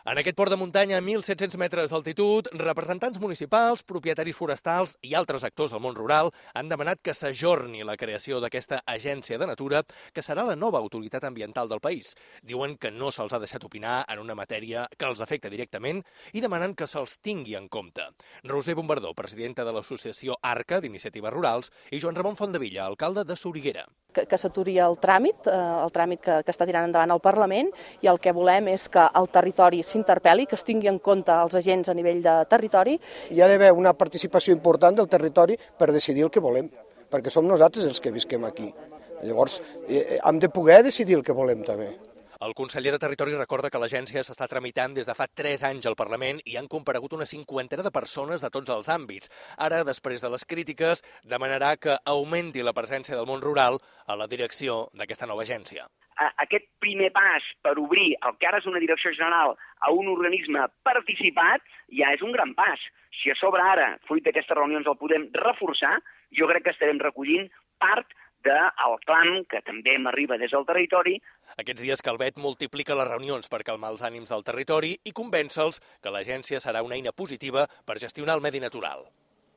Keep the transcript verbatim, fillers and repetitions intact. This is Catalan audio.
En aquest port de muntanya a mil set-cents metres d'altitud, representants municipals, propietaris forestals i altres actors del món rural han demanat que s'ajorni la creació d'aquesta agència de natura, que serà la nova autoritat ambiental del país. Diuen que no se'ls ha deixat opinar en una matèria que els afecta directament i demanen que se'ls tingui en compte. Roser Bombardó, presidenta de l'associació ARCA d'Iniciatives Rurals, i Joan Ramon Fontdevilla, alcalde de Soriguera. Que, que s'aturi el tràmit, eh, el tràmit que, que està tirant endavant el Parlament, i el que volem és que el territori s'interpel·li, que es tingui en compte els agents a nivell de territori. Hi ha d'haver una participació important del territori per decidir el que volem, perquè som nosaltres els que visquem aquí. Llavors, eh, hem de poder decidir el que volem també. El conseller de Territori recorda que l'agència s'està tramitant des de fa tres anys al Parlament i han comparegut una cinquantena de persones de tots els àmbits. Ara, després de les crítiques, demanarà que augmenti la presència del món rural a la direcció d'aquesta nova agència. Aquest primer pas per obrir el que ara és una direcció general a un organisme participat ja és un gran pas. Si a sobre ara, fruit d'aquestes reunions, el podem reforçar, jo crec que estarem recollint part del clam que també m'arriba des del territori. Aquests dies Calvet multiplica les reunions per calmar els ànims del territori i convèncer-los que l'agència serà una eina positiva per gestionar el medi natural.